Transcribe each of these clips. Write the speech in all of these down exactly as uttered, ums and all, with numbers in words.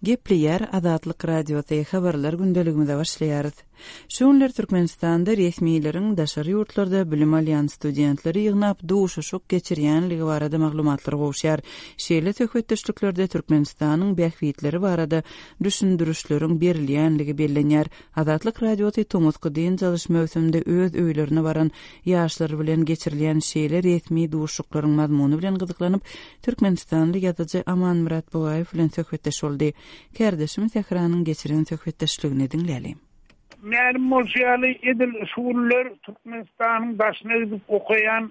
Gepleýär Azatlyk Radiosy, Habarlar gündeligimize başlaýarys. Şu günler Türkmenistanda resmileriň daşary ýurtlarda bilim alýan studentleri ýygnap duşuşyk geçirýänligi barada maglumatlar gowuşýar. Şeýle söhbetdeşliklerde Türkmenistanyň bähbitleri barada düşündirişleriň berilýänligi bellenýär. Azatlyk Radiosy tomusky dynç alyş möwsüminde öz öýlerine baran ýaşlar bilen geçirilýän şeýle resmi duşuşyklaryň mazmuny bilen gyzyklanyp, türkmenistanly ýazyjy Amanmyrat Bugaýew bilen söhbetdeş boldy. Kärdeşim Sähranyň geçiren söhbetdeşligini diňläli. Mälim bolşy ýaly, edil şu günler Türkmenistanyň daşyna gidip okaýan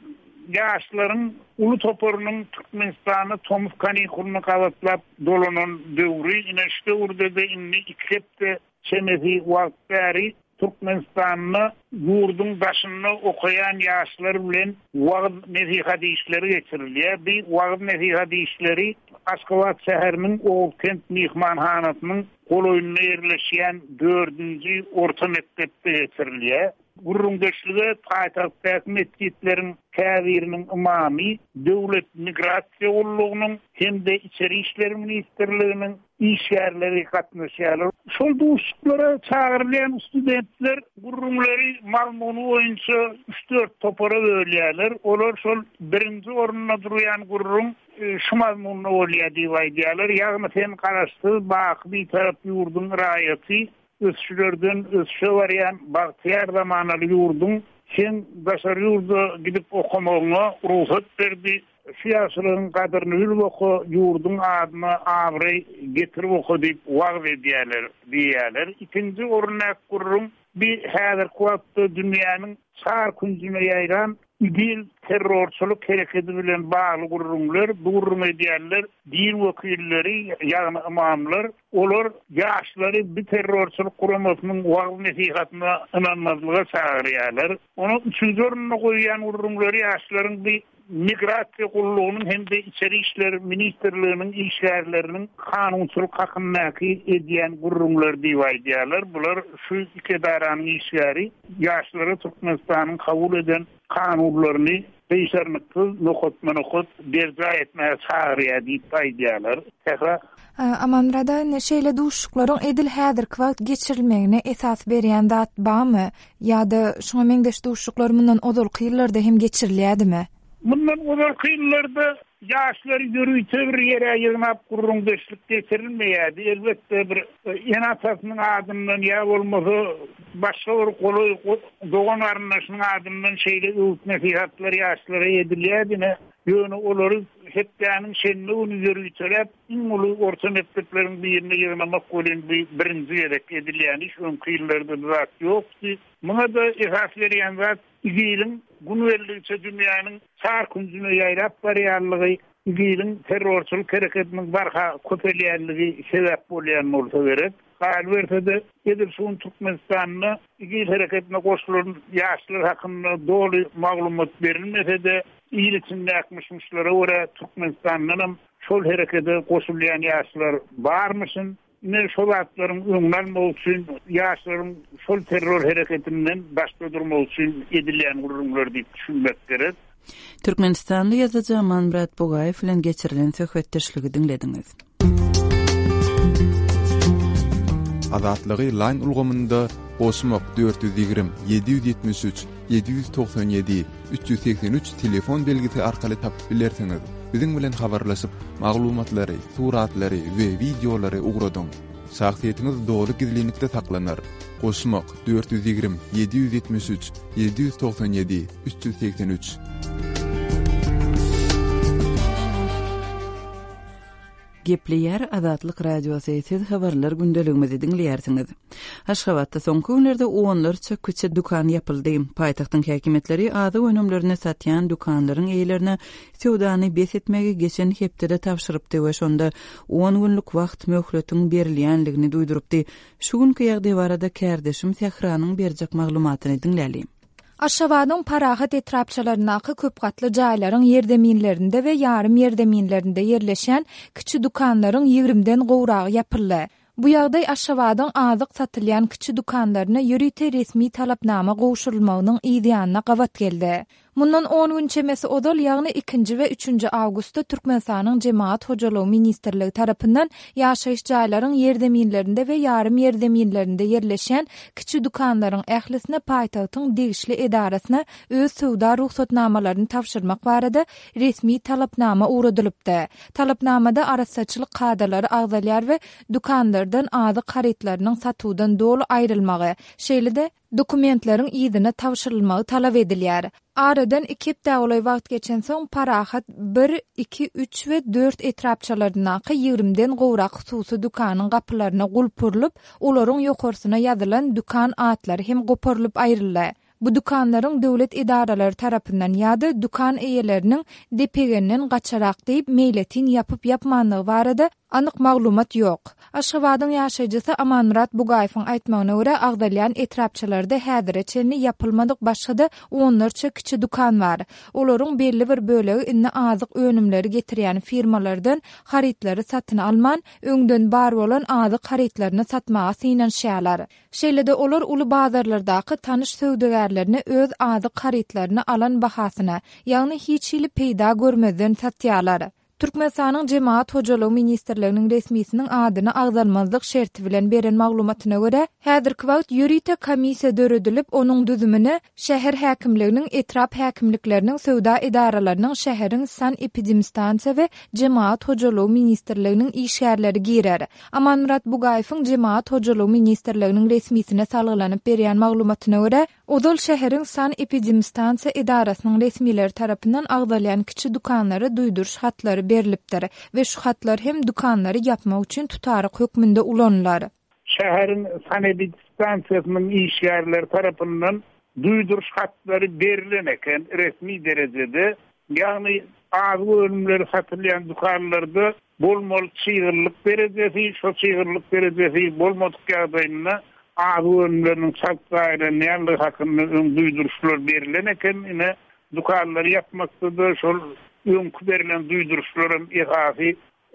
ýaşlaryň uly toparynyň Türkmenistana tomus kanikulyny gabatlap dolanan döwri, ine şu döwürde-de indi iki hepde çemesi wagt bäri Türkmenistanda ýurduň daşynda okaýan ýaşlar bilen wagyz-nesihat işleri geçirilýär. Bu wagyz-nesihat işleri Aşgabat şäheriniň Oguzkent myhmanhanasynyň golaýynda ýerleşýän dördünji orta mekdepde geçirilýär. Gürrüňdeşlige paýtagtdaky metjitleriň käbiriniň ymamy, Döwlet migrasiýa gullugynyň hem-de Içeri işler ministrliginiň işgärleri gatnaşýarlar. Şol duşuşyklara çagyrylýan studentler gürrüňleri mazmuny boýunça üç-dört topara bölýärler. Olar şol birinji orunda durýan gürrüň şu mazmunda bolýar diýip aýdýarlar. Ýagny sen Garaşsyz, baky Bitarap ýurduň raýaty, ösüşlerden ösüşe barýan bagtyýar zamanaly ýurduň sen daşary ýurda gidip okamagyňa rugsat berdi. Şu ýagşylygyň gadyryny bilip oka, ýurduň adyna abraý getirip oka diýip wagyz edýärler diýýärler. Ikinji orundaky gürrüň bir häzirki wagtda dünýäniň çar künjüne ýaýran İGİL terrorçylyk hereketi bilen bagly gürrüňler, bu gürrüň edýänler din wekilleri, ýagny ymamlar, olar ýaşlary bu terrorçylyk guramasynyň wagyz-nesihatyna ynanmazlyga çagyrýarlar. Onuň üçünji ornuna goýýan gürrüňleri ýaşlaryň bir migrasiýa gullugynyň hem-de Içeri işler ministrliginiň işgärleriniň kanunçylyk hakyndaky edýän gürrüňleri diýip aýdýarlar. Bular şu iki edaranyň işgäri ýaşlara Türkmenistanyň kabul eden kanunlaryny gyşarnyksyz nokatma-nokat berjaý etmäge çagyrýar diýip aýdýarlar. Sähra. Amanmyrat aga, indi şeýle duşuşyklaryň edil häzirki wagt geçirilmegine esas berýän zat barmy? Ýa-da şuňa meňzeş duşuşyklar mundan ozalky ýyllarda hem geçirilýärdimi? Mundan ozalky ýyllarda ýaşlary ýörite bir ýere ýygnap gürrüňdeşlik geçirilmeýärdi. Elbetde bir ene-atasynyň adyndan ýa bolmasa başga bir golaý dogan garyndaşynyň adyndan şeýle öwüt-nesihatlar ýaşlara edilýärdi. Ýöne olary hepdäniň şenbe güni ýöriteläp iň uly orta mekdepleriň birine ýygnamak welin bu birinji gezek edilýän iş. Öňki ýyllarda bu zat ýokdy. Muňa-da esas berýän zat İGİL-iň gün geldikçe dünýäniň çar künjüne ýaýrap barýanlygy, İGİL-iň terrorçylyk hereketiniň barha köpelýänligi sebäp bolýan bolsa gerek. Galyberse-de, edil şu gün Türkmenistanda İGİL hereketine goşulan ýaşlar hakynda doly maglumat berilmese-de, il içindäki myş-myşlara görä Türkmenistandanam şol herekete goşulýan ýaşlar barmyşyn. Ine şol zatlaryň öňüni almak üçin ýaşlaryň şol terror hereketinden daşda durmak üçin edilýän gürrüňler diýip düşünmek gerek. Türkmenistanly ýazyjy Amanmyrat Bugaýew bilen geçirilen söhbetdeşligi diňlediňiz. Azatlygy Line ulgamynda goşmak dört ýüz ýigrimi, ýedi ýüz ýetmiş üç, ýedi ýüz togsan ýedi, üç ýüz segsen üç telefon belgisi arkaly tapyp bilersiňiz. Biziň bilen habarlaşyp, maglumatlary, suratlary we wideolary ugradyň. Şahsyýetiňiz doly gizlinlikde saklanar. Goşmak dört ýüz ýigrimi, ýedi ýüz ýetmiş üç, ýedi ýüz togsan ýedi, üç ýüz segsen üç. Gepleýär Azatlyk Radiosy, siz habarlar gündeligimizi diňleýärsiňiz. Aşgabatda soňky günlerde onlarça kiçi dükan ýapyldy. Paýtagtyň häkimiýetleri azyk önümlerini satýan dükanlaryň eýelerine söwdany bes etmegi geçen hepdede tabşyrypdy we şonda on günlük wagt möhletiň berilýänligini duýdurypdy. Şu günki ýagdaý barada kärdeşim Sähranyň berjek maglumatyny diňläli. Aşgabadyň Parahat etrapçalaryndaky köp gatly jaýlaryň ýerzeminlerinde we ýarym ýerzeminlerinde ýerleşýän kiçi dükanlaryň ýigrimden gowragy ýapyldy. Bu ýagdaý Aşgabadyň azyk satylýan kiçi dükanlaryna ýörite resmi talapnama gowşurylmagynyň yz ýanyna gabat geldi. Mundan on gün çemesi ozal, ýagny ikinji we üçünji awgustda Türkmenistanyň Jemagat hojalygy ministrligi tarapyndan ýaşaýyş jaýlaryň ýerzeminlerinde we ýarym ýerzeminlerinde ýerleşýän kiçi dükanlaryň ählisine paýtagtyň degişli edarasyna öz söwda rugsatnamalaryny tabşyrmak barada resmi talapnama ugradylypdy. Talapnamada arassaçylyk kadalary agzalýar we dükanlardan azyk harytlarynyň satuwdan doly aýrylmagy, şeýle-de dokumentleriň yzyna tabşyrylmagy talap edilýär. Aradan iki hepdä golaý wagt geçensoň, Parahat bir, iki, üç we dört etrapçalaryndaky ýigrimiden gowrak hususy dükanyň gapylaryna gulp urlup, olaryň ýokarsyna ýazylan dükan atlary hem goparylyp aýryldy. Bu dükanlaryň döwlet edaralary tarapyndan ýa-da dükan eýeleriniň depegenden gaçarak diýip meýletin ýapyp-ýapmanlygy barada anyk maglumat ýok. Aşgabadyň ýaşaýjysy Amanmyrat Bugaýewiň aýtmagyna görä, agzalýan etrapçalarda häzire çenli ýapylmadyk başga-da onlarça kiçi dükan bar. Olaryň belli bir bölegi indi azyk önümleri getirýän firmalardan harytlary satyn alman, öňden bar bolan azyk harytlaryny satmaga synanyşýarlar. Şeýle-de olar uly bazarlardaky tanyş söwdagärlerine öz azyk harytlaryny alan bahasyna, ýagny hiç hili peýda görmezden satýarlar. Türkmenistanyň Jemagat hojalygy ministrliginiň resmisiniň adyny agzalmazlyk şerti bilen beren maglumatyna görä, häzirki wagt ýörite komissiýa döredilip, onuň düzümine şäher häkimliginiň, etrap häkimlikleriniň, söwda edaralarynyň, şäheriň sanepidemstansiýa we Jemagat hojalygy ministrliginiň işgärleri girer. Amanmyrat Bugaýewiň Jemagat hojalygy ministrliginiň resmisine salgylanyp berýän maglumatyna görä, ozal şäheriň sanepidemstansiýa edarasynyň resmileri tarapyndan agzalýan kiçi dükanlara duýduryş hatlary berlipdir we şu hatlar hem dükanlary ýapmak üçin tutaryk hökmünde ulanylar. Şäheriň sanepidemstansiýasynyň işgärleri tarapyndan duýduryş hatlary berlen eken resmi derejede, ýagny azyk önümleri satylýan dükanlarda bolmaly çygyrlyk derejesi, şo çygyrlyk derejesi bolmadyk ýagdaýynda azyk önümleriniň çalt zaýalanýanlygy hakynda öň duýduryşlar berlen eken. Ine, dükanlary ýapmakda-da şol öňki berlen duýduryşlaram esasy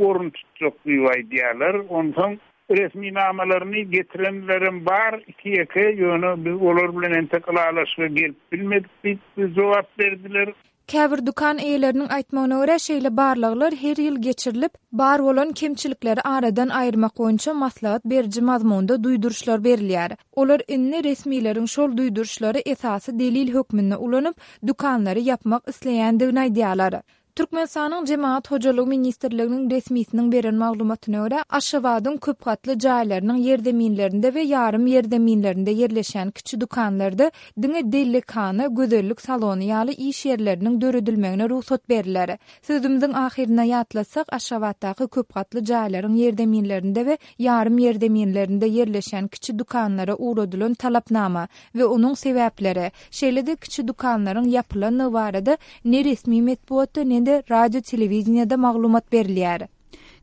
orun tutjak diýip aýdýarlar. Onsoň resminamalaryny getirenlerem bar, iki ýeke, ýöne biz olar bilen entek ylalaşyga gelip bilmedik diýip jogap berdiler. Käbir dükan eýeleriniň aýtmagyna görä, şeýle barlaglar her ýyl geçirilip, bar bolan kemçilikleri aradan aýyrmak boýunça maslahat beriji mazmunda duýduryşlar berilýär. Olar indi resmileriň şol duýduryşlary esasy delil hökmünde ulanyp, dükanlary ýapmak isleýändigini aýdýarlar. Türkmenistanyň Jemagat hojalygy ministrliginiň resmisiniň beren maglumatyna görä, Aşgabadyň köpgatly jaýlarynyň ýerzeminlerinde we ýarym ýerzeminlerinde ýerleşýän kiçi dükanlarda diňe dellekhana, gözellik salony ýaly iş ýerleriniň döredilmegine rugsat beriler. Sözümiziň ahyrynda ýatlatsak, Aşgabatdaky köpgatly jaýlaryň ýerzeminlerinde we ýarym ýerzeminlerinde ýerleşýän kiçi dükanlara ugradylan talapnama we onuň sebäpleri, şeýle-de kiçi dükanlaryň ýapylanlygy barada ne resmi metbugatda, ne de radio telewideniýede maglumat berilýär.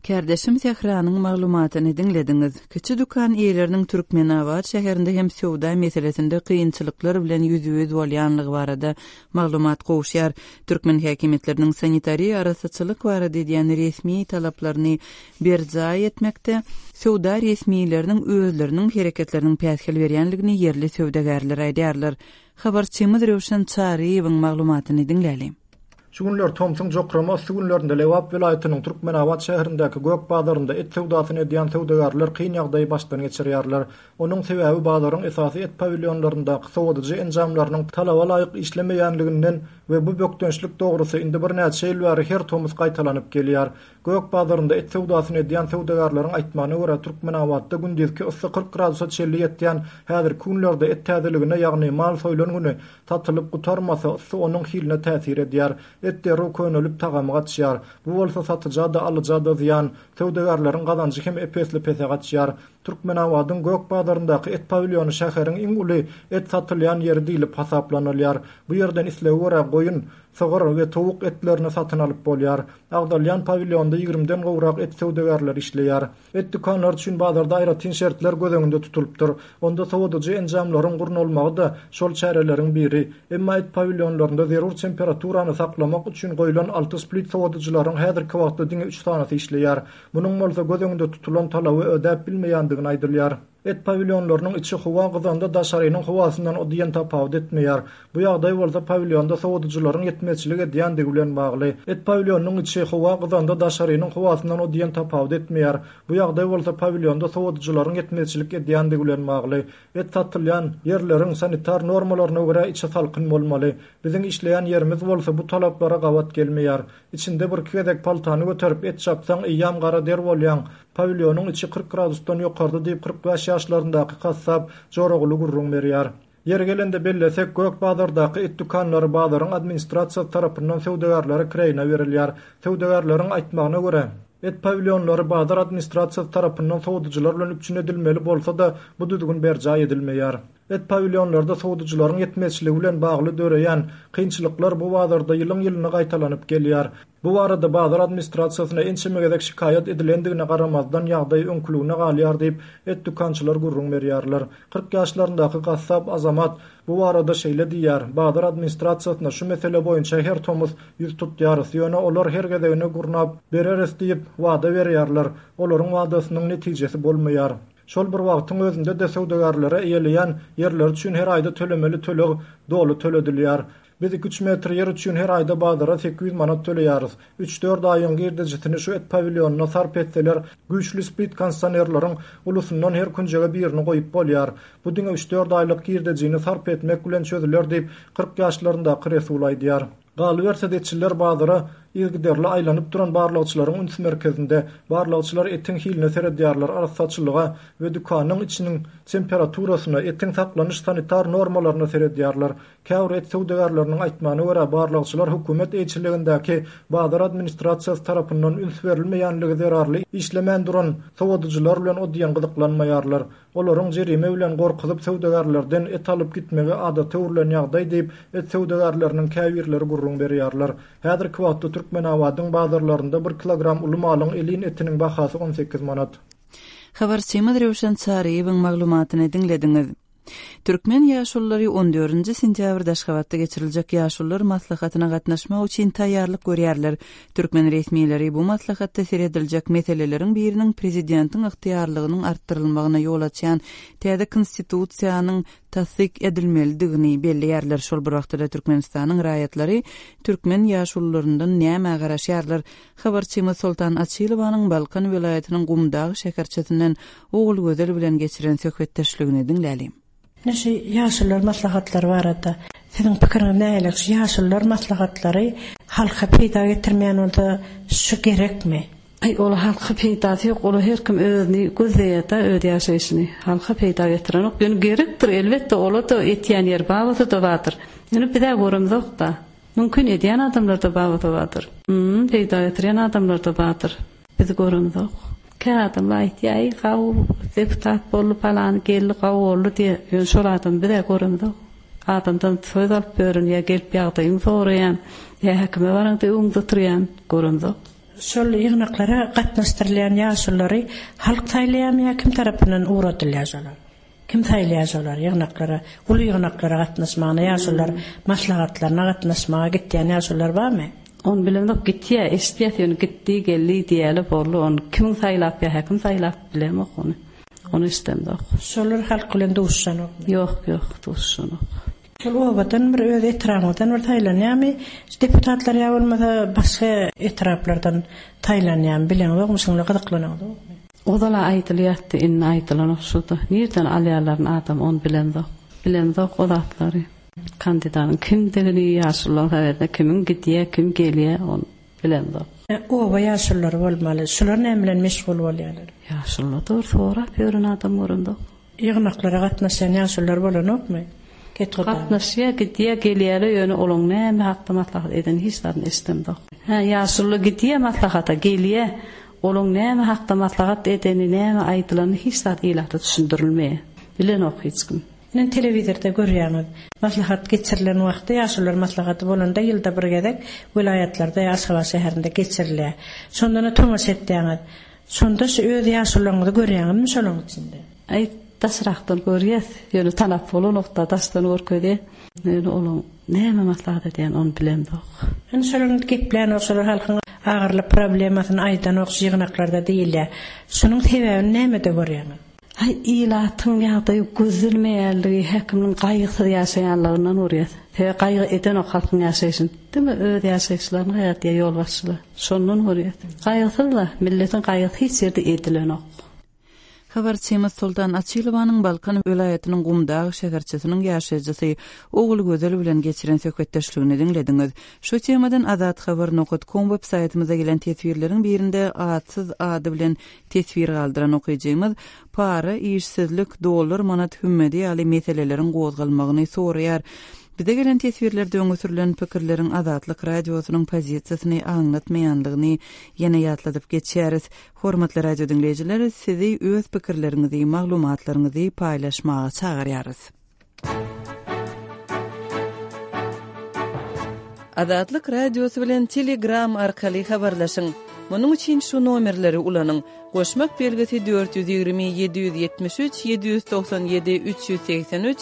Kärdeşim Sähranyň maglumatyny diňlediňiz. Kiçi dükan eýeleriniň Türkmenabat şäherinde hem söwda meselesinde kynçylyklar bilen ýüzbe-ýüz bolýanlygy barada maglumat gowuşýar. Türkmen häkimiýetleriniň sanitariýa arassaçylyk barada edýän resmi talaplaryny berjaý etmekde söwda resmileriniň özleriniň hereketleriniň päsgel berýänligini ýerli söwdagärler aýdýarlar. Habarçymyz Röwşen Çaryýewiň maglumatyny diňläli. Şu günler tomsuň jokrama yssy günlerinde Lebap welaýatynyň Türkmenabat şäherindäki gök bazarynda et söwdasyny edýän söwdagärler kyn ýagdaýy başdan geçirýärler. Onuň sebäbi bazaryň esasy et pawilýonlaryndaky sowadyjy enjamlarynyň talaba laýyk işlemeýänliginden we bu bökdençlik dogrusy indi birnäçe ýyl bäri her tomus gaýtalanyp gelýär. Gök bazarynda et söwdasyny edýän söwdagärleriň aýtmagyna görä, Türkmenabatda gündizki yssy kyrk gradusa çenli ýetýän häzirki günlerde et täzeligine, ýagny mal soýlan güni satylyp gutarmasa, yssy onuň hiline täsir edýär. Et derrew könelip tagamy gaçýar. Bu bolsa satyja-da, alyja-da zyýan. Söwdagärleriň gazanjy hem ep-esli pese gaçýar. Türkmenabadyň gök bazaryndaky et pawilýony şäheriň iň uly et satylýan ýeri diýlip hasaplanylýar. Bu ýerden islege görä goýun, sygyr we towuk etlerini satyn alyp bolýar. Agzalýan pawilýonda ýigrimden gowrak et söwdagärleri işleýär. Et dükanlary üçin bazarda aýratyn şertler göz öňünde tutulypdyr. Onda sowadyjy enjamlaryň gurnalmagy-da şol çäreleriň biri. Emma et pawilýonlarynda zerur temperaturany saklamak üçin goýlan alty split sowadyjylaryň häzirki wagtda diňe üç sanasy işleýär. Munuň bolsa göz öňünde tutulan talaby ödäp bilmeýändigini aýdylýar. Et pawilýonlarynyň içi howa gyzanda daşarynyň howasyndan o diýen tapawut etmeýär. Bu ýagdaý bolsa pawilýonda sowadyjylaryň ýetmezçilik edýändigi bilen bagly. Et pawilýonynyň içi howa gyzanda daşarynyň howasyndan o diýen tapawut etmeýär. Bu ýagdaý bolsa pawilýonda sowadyjylaryň ýetmezçilik edýändigi bilen bagly. Et satylýan ýerleriň sanitar normalaryna görä içi salkyn bolmaly. Biziň işleýän ýerimiz bolsa bu talaplara gabat gelmeýär. Içinde bir iki gezek paltany göterip et çapsaň eýýäm gara der bolýaň. Pawilýonyň içi kyrk gradusdan ýokarda diýip kyrk bäş ýaşlaryndaky gassap Joraguly gürrüň berýär. Ýeri gelende bellesek, Gök bazardaky et dükanlary bazaryň administrasiýasy tarapyndan söwdagärlere kireýine berilýär. Söwdagärleriň aýtmagyna görä, et pawilýonlary bazar administrasiýasy tarapyndan sowadyjylar bilen üpjün edilmeli bolsa-da, bu düzgün berjaý edilmeýär. Et pawilýonlarda sowadyjylaryň ýetmezçiligi bilen bagly döreýän kynçylyklar bu bazarda ýylyň-ýylyna gaýtalanyp gelýär. Bu barada bazar administrasiýasyna ençeme gezek şikaýat edilendigine garamazdan ýagdaý öňküligine galýar diýip, et dükançylar gürrüň berýärler. Kyrk ýaşlaryndaky gassap Azamat bu barada şeýle diýýär: Bazar administrasiýasyna şu mesele boýunça her tomus ýüz tutýarys, ýöne olar her gezegine gurnap bereris diýip wada berýärler. Olaryň wadasynyň netijesi bolmaýar. Şol bir wagtyň özünde-de söwdagärlere eýeleýän ýerleri üçin her aýda tölemeli töleg doly töledilýär. Biz iki üç metr ýer üçin her aýda bazara sekiz ýüz manat töleýäris. Üç-dört aýyň girdejisini şu et pawilýonyna sarp etseler, güýçli split kondisionerleriň ulusyndan her künjege birini goýup bolýar. Bu diňe üç-dört aýlyk girdejini sarp etmek bilen çözüler diýip, kyrk ýaşlaryndaky Resul aýdýar. Galyberse-de etçiler bazara yzygiderli aýlanyp duran barlagçylaryň üns merkezinde. Barlagçylar etiň hiline seredýärler, arassaçylyga we dükanyň içiniň temperaturasyna, etiň saklanyş sanitar normalaryna seredýärler. Käbir et söwdagärleriniň aýtmagyna görä, barlagçylar hökümet eýeçiligindäki bazar administrasiýasy tarapyndan üns berilmeýänligi zerarly işlemän duran sowadyjylar bilen o diýen gyzyklanmaýarlar. Olaryň jerime bilen gorkuzyp söwdagärlerden et alyp gitmegi adata öwrülen ýagdaý diýip, et söwdagärleriniň käbirleri gürrüň berýärler. Häzirki wagtda Türkmenabadyň bazarlarynda bir kilogram uly malyň elin etiniň bahasy on sekiz manat. Habarçymyz Röwşen Çaryýewiň maglumatyny diňlediňiz. Türkmen ýaşululary on dördünji sentýabrda Aşgabatda geçiriljek ýaşulular maslahatyna gatnaşmak üçin taýýarlyk görýärler. Türkmen resmileri bu maslahatda serediljek meseleleriň biriniň prezidentiň ygtyýarlygynyň artdyrylmagyna ýol açýan täze konstitusiýanyň tassyk edilmelidigini belleýärler. Şol bir wagtda Türkmenistanyň raýatlary türkmen ýaşulularyndan näme garaşýarlar? Habarçymyz Soltan Açylowanyň Balkan welaýatynyň Gumdag şäherçesinden Ogulgözel bilen geçiren söhbetdeşligini diňlälim. Näşe ýaşulular maslahatlary barada siziň pikiriňiz nähili? Şu ýaşulular maslahatlary halka peýda getirmeýän bolsa şu gerekmi? Aý, ol halka peýdasy ýok, ol her kim özüni gözleýär-de, öz ýaşaýşyny. Halka peýda getirenok. Ýöne gerekdir, elbetde, ola da etýän ýer babasy da bardyr. Ýöne bize göremzok da. Mümkin edýän adamlar da babasy bardyr. Hmm, peýda getirýän adamlar da bardyr. Biz göremzok. Kä adamlar aýtýar, aý, gaw, deputat boldy, falan geldi, gaw boldy diýe. Ýöne şol adam bize göremzok. Adamdan söz alyp börün, ýa gelip ýagdaýyny soraýan, ýa häkime baraňda öňde oturýan, göremzok. Şol ýygnaklara gatnaşdyrylýan ýaşululary halk saýlaýarmy ýa kim tarapyndan ugradylýar şolar? Kim saýlaýar şolar ýygnaklara, uly ýygnaklara gatnaşmagyna, ýaşulular maslahatlaryna gatnaşmaga gitýän ýaşulular barmy? On bilemok, gitýär, eşitýär, ýöne gitdi, geldi diýeli boldy. Ony kim saýlap ýa häkim saýlap bilemok ony. Ony istemzok. Şolar halk bilen duşuşanokmy? Ýok, ýok, duşuşanok. Şol obadan bir öz etrabyndan bir saýlanýarmy? Deputatlar ýa bolmasa başga etraplardan saýlanýarmy? Bileňizokmy, şuňa gyzyklanaňyzokmy? Ozala aýdylýardy, indi aýdylanok şurada. Nirden alýarlar adam ony bilemzok. Bilemzok o zatlary. Kandidatyň kimdigini, ýaşulular habarda kimiň gidýär, kim gelýär, ony bilemzok. E, oba ýaşululary bolmaly. Şular näme bilen meşgul bolýarlar? Ýaşulular dogry sorap ýören adam göründok. Ýygnaklara gatnaşýan ýaşulular bolanokmy? Ketgoda. Gatnaşýar, gidýär, gelýär, ýöne olaň näme hakda maslahat eden hiç zadyny eşidemzok. Hä, ýaşuly gidýär maslahata, gelýär. Olaň näme hakda maslahat edeni, näme aýdylany hiç zat ilata düşündirilmeýär. Bilenok hiç kim. Men telewizorda görýäňiz. Maslahat geçirilen wagtda ýaşulular maslahaty bolanda ýylda bir gezek welaýatlarda ýa Aşgabat şäherinde geçirilýär. Şonda da tomaşa etýäňiz. Şonda şu öz ýaşulularyňyzy görýäňizmi şolaryň içinde? Aý, daşrakdan görýäs. Ýöne tanap bolanokda daşdan görkezýär. Ýöne olaň näme maslahat edýän ony bilemzok. Indi şolaryň geplän şolar halkyň agyrly problemasyny aýdanok şu ýygnaklarda diýilýär. Şunuň sebäbini nämede görýäňiz? Haý, ilatyň ýagdaýy gözlenmeýänligi, häkimiň gaýgysyz ýaşaýanlygyndan görýäs. Sebäbi gaýgy edenok halkyň ýaşaýşyny. Diňe öz ýaşaýyşlaryny gaýgy edýär ýolbaşçylar. Şondan görýäs. Gaýgysyz-da, milletiň gaýgysy hiç ýerde edilenok. Habarçymyz Soltan Açylowanyň Balkan welaýatynyň Gumdag şäherçesiniň ýaşaýjysy Ogulgözel bilen geçiren söhbetdeşligini diňlediňiz. Şu temadan azathabar nokat com web saýtymyza gelen teswirleriň birinde atsyz ady bilen teswir galdyran okyjymyz para, işsizlik, dollar, manat hümmedi ýaly meseleleriň gozgalmagyny soraýar. Bize gelen teswirlerde öňe sürülen pikirleriň Azatlyk radiosynyň pozisiýasyny aňlatmaýanlygyny ýene ýatladyp geçýäris. Hormatly radio diňleýjiler, sizi öz pikirleriňizi, maglumatlaryňyzy paýlaşmaga çagyrýarys. Azatlyk radiosy bilen Telegram arkaly habarlaşyň. Munuň üçin şu nomerleri ulanyň. Goşmak belgisi dört ýüz ýigrimi ýedi ýüz ýetmiş üç ýedi ýüz togsan ýedi üç ýüz segsen üç,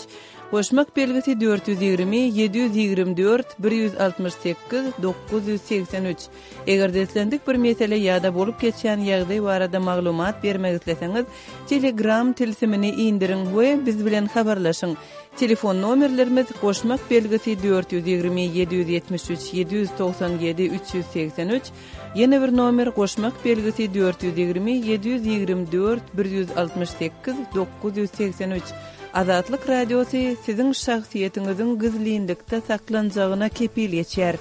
goşmak belgisi dört ýüz ýigrimi ýedi ýüz ýigrimi dört bir ýüz altmyş sekiz dokuz ýüz segsen üç. Eger-de islendik bir mesele ýa-da bolup geçýän ýagdaý barada maglumat bermek isleseňiz, Telegram tilsimini indiriň we biz bilen habarlaşyň. Telefon nomerlerimiz goşmak belgisi dört ýüz ýigrimi ýedi ýüz ýetmiş üç ýedi ýüz togsan ýedi üç ýüz segsen üç, ýene bir nomer goşmak belgisi dört ýüz ýigrimi ýedi ýüz ýigrimi dört bir ýüz altmyş sekiz dokuz ýüz segsen üç. Azatlyk Radiosy siziň şahsyýetiňiziň gizlinlikde saklanjagyna kepil geçýär.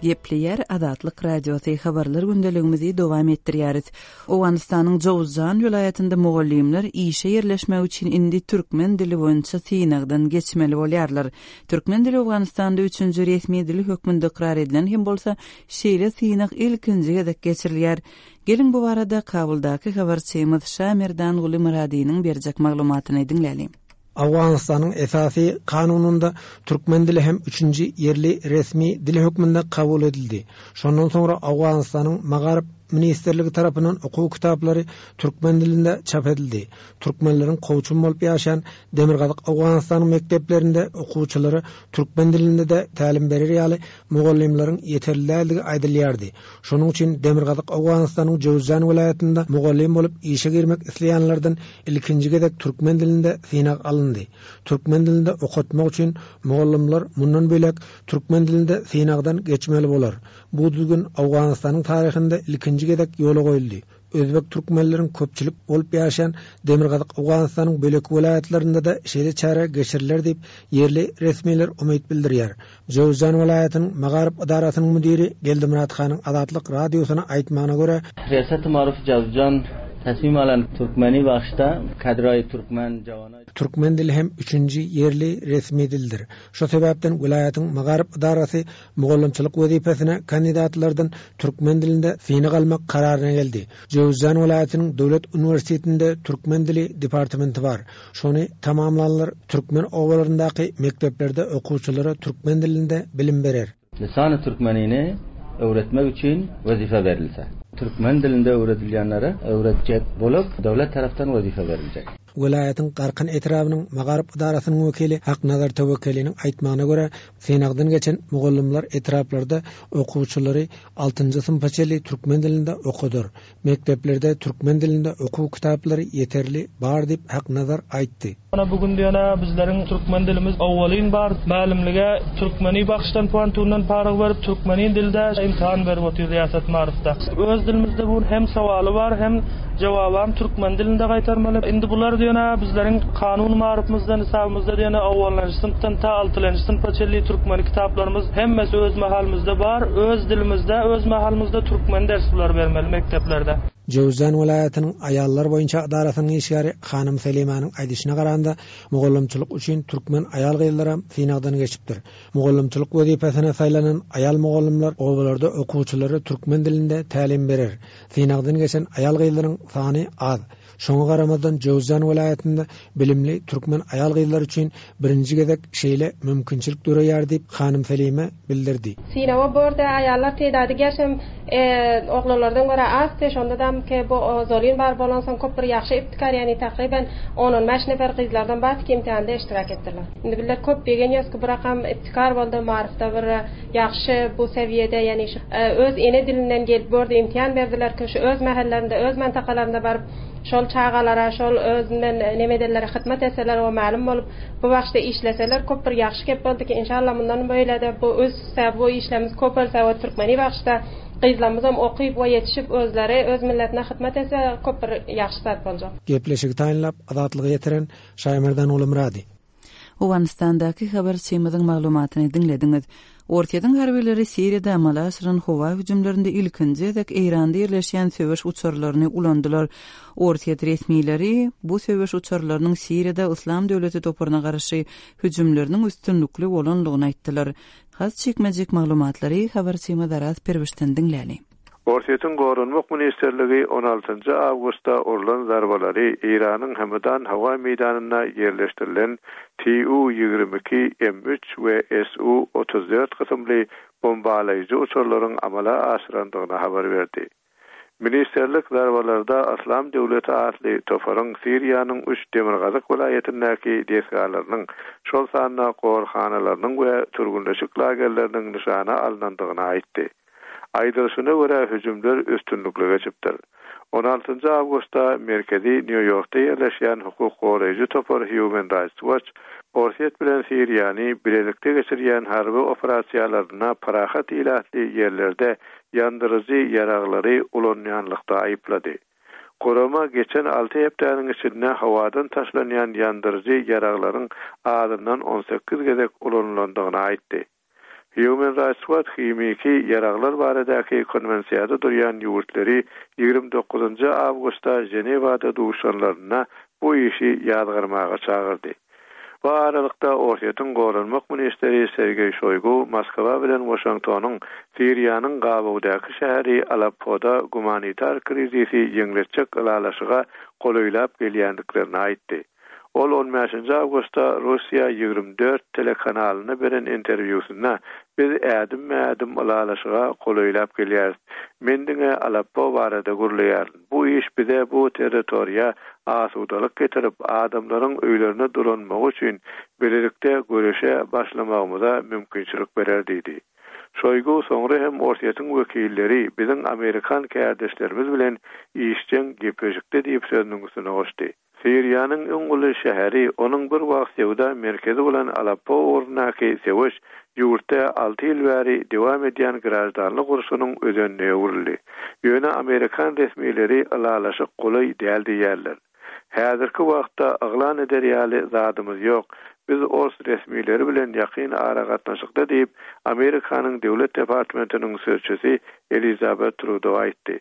Gepleýär Azatlyk Radiosy habarlar gündeligimizi dowam etdirýäris. Owganystanyň Jowzjan welaýatynda mugallymlar işe ýerleşmek üçin indi türkmen dili boýunça synagdan geçmeli bolýarlar. Türkmen dili Owganystanda üçünji resmi dil hökmünde ykrar edilen hem bolsa, şeýle synag ilkinji gezek geçirilýär. Geliň bu barada Kabuldaky habarçymyz Şamerdanguly Myradynyň berjek maglumatyny diňläliň. Owganystanyň esasy kanunynda türkmen dili hem üçünji ýerli resmi dil hökmünde kabul edildi. Şondan soňra Owganystanyň Magaryf Ministrligi tarapyndan okuw kitaplary türkmen dilinde çap edildi. Türkmenleriň kowçum bolup ýaşayan Demirgazyk Owganystanyň mekdeplerinde okuwçylara türkmen dilinde de tälim berer ýaly mugallymlaryň ýeterli däldigi aýdylýardy. Şonuň üçin Demirgazyk Owganystanyň Jowzjan welaýatynda mugallym bolup işe girmek isleýänlerden ilkinji gezek türkmen dilinde synag alyndy. Türkmen dilinde okatmak üçin mugallymlar mundan bölek türkmen dilinde synagdan geçmeli bolar. Bu düzgün Owganystanyň taryhynda ilkinji gezek ýola goýuldy. Özbek türkmenleriň köpçülik bolup ýaşayan Demirgazyk Owganystanyň bölek welaýatlarynda da şeýle çäre geçiriler diýip ýerli resmiler umyt bildirýär. Jowzjan welaýatynyň Magaryf edarasynyň müdiri Geldimyrat Hanyň Azatlyk radiosyna aýtmagyna görä, Riyasat Maruf Jowzjan tasmim alan Türkmeni başda kadroy Türkmen jawanay Türkmen dili hem üçünji ýerli resmi dildir. Şu sebäpden welaýatyň Magaryf edarasy mugallymçylyk wezipesine kandidatlardan türkmen dilinde synag almak kararyna geldi. Jowzjan welaýatynyň Döwlet uniwersitetinde türkmen dili departamenti bar. Şony tamamlanlar türkmen obalaryndaky mekdeplerde okuwçylara türkmen dilinde bilim berer. Lisany türkmenini öwretmek üçin wezife berilse. Türkmen dilinde öwredilýänlere öwretjek bolup döwlet tarapdan wezife beriljek. Welaýatyň Garkyn etrabynyň Magaryf edarasynyň wekili Haknazar Töwekeliniň aýtmagyna görä, synagdan geçen mugallymlar etraplarda okuwçylary altynjy synpa çenli türkmen dilinde okadar. Mekdeplerde türkmen dilinde okuw kitaplary ýeterli bar diýip Haknazar aýtdy. Ana bugün diýene bizleriň türkmen dilimiz awwalyn bar. Mälimlige türkmeni bakşdan puantundan paryg berip türkmenin dilde imtihan berip otyr Riyasat Maarifda. Öz dilimizde bu hem sowaly bar, hem jawabam türkmen dilinde gaýtarmaly. Indi bular diýene bizleriň kanun maarifimizden hesabymyzda diýene awwalynjy synpdan ta altynjy synpa çenli türkmen kitaplarymyz hemmesi öz mahalymyzda bar. Öz dilimizde, öz mahalymyzda türkmen ders bular bermeli mekdeplerde. Jowzjan welaýatynyň aýallar boýunça edarasynyň işgäri Hanym Selimanyň aýdyşyna garanda, mugallymçylyk üçin türkmen aýal gyzlary synagdan geçipdir. Mugallymçylyk wezipesine saýlanan aýal mugallymlar obalarda okuwçylara türkmen dilinde tälim berer. Synagdan geçen aýal gyzlaryň sany az. Şoňa garamazdan Jowzjan welaýatynda bilimli türkmen aýal gyzlary üçin birinji gezek şeýle mümkinçilik döreýär diýip Hanym Selime bildirdi. Synawa borda aýallar teýdady gerşem, e, oglanlardan görä az, şonda da Hem ki bu zolin bar bolansoň köp bir ýagşy ibtikar, ýagny takryban on-on bäş nefer gyzlardan bar ki imtihanda iştirak etdiler. Indi bizler köp begenýäs ki bu rakam ibtikar boldy, maryfda bir ýagşy bu sewiýede, ýagny şu öz ene dilinden gelip bu ýerde imtihan berdiler ki şu öz mähellerinde, öz mantakalarynda baryp şol çagalara, şol özünden nemedelere hyzmat etseler we mälum bolup bu başda işleseler köp bir ýagşy gep boldy ki inşallah mundan beýle-de bu össe bu işlerimiz köpelse we türkmeni başda gyzlarymyzam okyp we ýetişip özleri öz milletine hyzmat etse köp bir ýagşy zat boljak. Gepleşigi taýynlap Azatlyga ýetiren Şaýmerdan Ulumyrady. Owganystandaky habarçymyzyň maglumatyny diňlediňiz. Orsýetiň harbileri Siriýada amala aşyran howa hüjümlerinde ilkinji gezek Eýranda ýerleşýän söweş uçarlaryny ulandylar. Orsýet resmileri bu söweş uçarlarynyň Siriýada Yslam döwleti toparyna garşy hüjümleriniň üstünlikli bolandygyny aýtdylar. Has çekmejek maglumatlary habarçymyz Araz Perwişden diňläli. Orsýetiň Goranmak Ministerligi on altynjy awgustda urlan zarbalary Eýranyň Hamadan howa meýdanynda ýerleşdirilen T U ýigrimi iki M üç we S U otuz dört kysymly bombalaýjy uçarlaryň amala aşyrandygyny habar berdi. Ministerlik zarbalarda Yslam döwleti atly toparyň Siriýanyň üç demirgazyk welaýatyndaky desgalarynyň, şol sanda gorhanalarynyň we türgünleşik lagerleriniň nyşana alynandygyny aýtdy. Aýdylyşyna görä hüjümler üstünlikli geçipdir. on altynjy awgustda merkezi Nýu-Ýorkda ýerleşýän hukuk goraýjy topar Human Rights Watch Orsýet bilen Siriýany bilelikde geçirýän harby operasiýalaryna parahat ilatly ýerlerde ýandyryjy ýaraglary ulanýanlykda aýyplady. Gurama geçen alty hepdäniň içinde howadan taşlanýan ýandyryjy ýaraglaryň azyndan on sekiz gezek ulanylandygyny aýtdy. Human Rights Watch himiki ýaraglar baradaky konwensiýada durýan ýurtlary ýigrimi dokuzynjy awgustda Ženewada duşanlaryna bu işi ýazgarmaga çagyrdy. Bu aralykda Orsýetiň Goranmak ministri Sergeý Şoýgu Moskwa bilen Waşingtonyň Siriýanyň gabawdaky şäheri Aleppoda gumanitar krizisi ýeňletjek ylalaşyga golaýlap gelýändiklerini aýtdy. Ol on bäşinji awgustda Russiýa ýigrimi dört telekanalyna beren interwýusynda biz ädim-ädim ylalaşyga golaýlap gelýäris. Men diňe Aleppo barada gürleýärin. Bu iş bize bu territoriýa asudalyk getirip, adamlaryň öýlerine dolanmagy üçin bilelikde göreşe başlamagymyza mümkinçilik berer diýdi. Şoýgu soňra hem Orsýetiň wekilleri biziň Amerikan kärdeşlerimiz bilen işjeň gepleşikde diýip sözüniň üstüne goşdy. Siriýanyň iň uly şäheri, onuň bir wagt söwda merkezi bolan Aleppo ugrundaky söweş ýurtda alty ýyl bäri dowam edýän graždanlyk urşunyň özenine öwrüldi. Ýöne Amerikan resmileri ylalaşyk golaý däl diýýärler. Häzirki wagtda yglan eder ýaly zadymyz ýok. Biz ors resmileri bilen ýakyn aragatnaşykda diýip, Amerikanyň Döwlet Departamentiniň sözçüsi Elizabeth Trudeau aýtdy.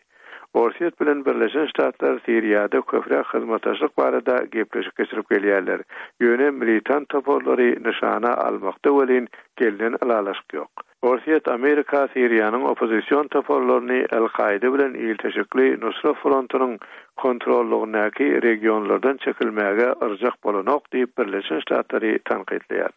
Orsýet bilen Birleşen Ştatlar Siriýada köpräk hyzmatdaşlyk barada gepleşik geçirip gelýärler. Ýöne militant toparlary nyşana almakda welin gelnen ylalaşyk ýok. Orsýet Amerika Siriýanyň oppozision toparlaryny El-Kaide bilen ilteşikli Nusra frontunyň kontrollugyndaky regionlardan çekilmäge yrjak bolanok diýip Birleşen Ştatlary tankytlaýar.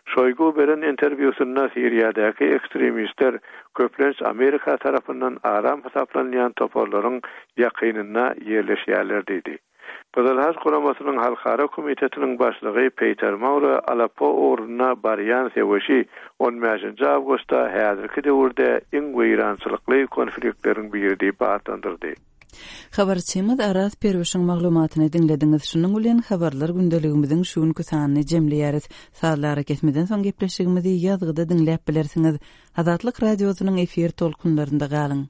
Şoýgu beren interwýusynda Siriýadaky ekstremistler köplenç Amerika tarapyndan aram hasaplanýan toparlaryň ýakynynda ýerleşýärler diýdi. Gyzyl Haç Guramasynyň Halkara Komitetiniň başlygy Peter Maurer Aleppo ugruna barýan söweşi on bäşinji awgustda häzirki döwürde iň weýrançylykly konfliktleriň biri diýip atlandyrdy. Habarçymyz Araz Perwişiň maglumatyny diňlediňiz. Şunuň bilen habarlar gündeligimiziň şu günki sanyny jemleýäris. Sazlara kesmeden soň gepleşigimizi ýazgyda diňläp bilersiňiz. Azatlyk radiosynyň efir tolkunlarynda galyň.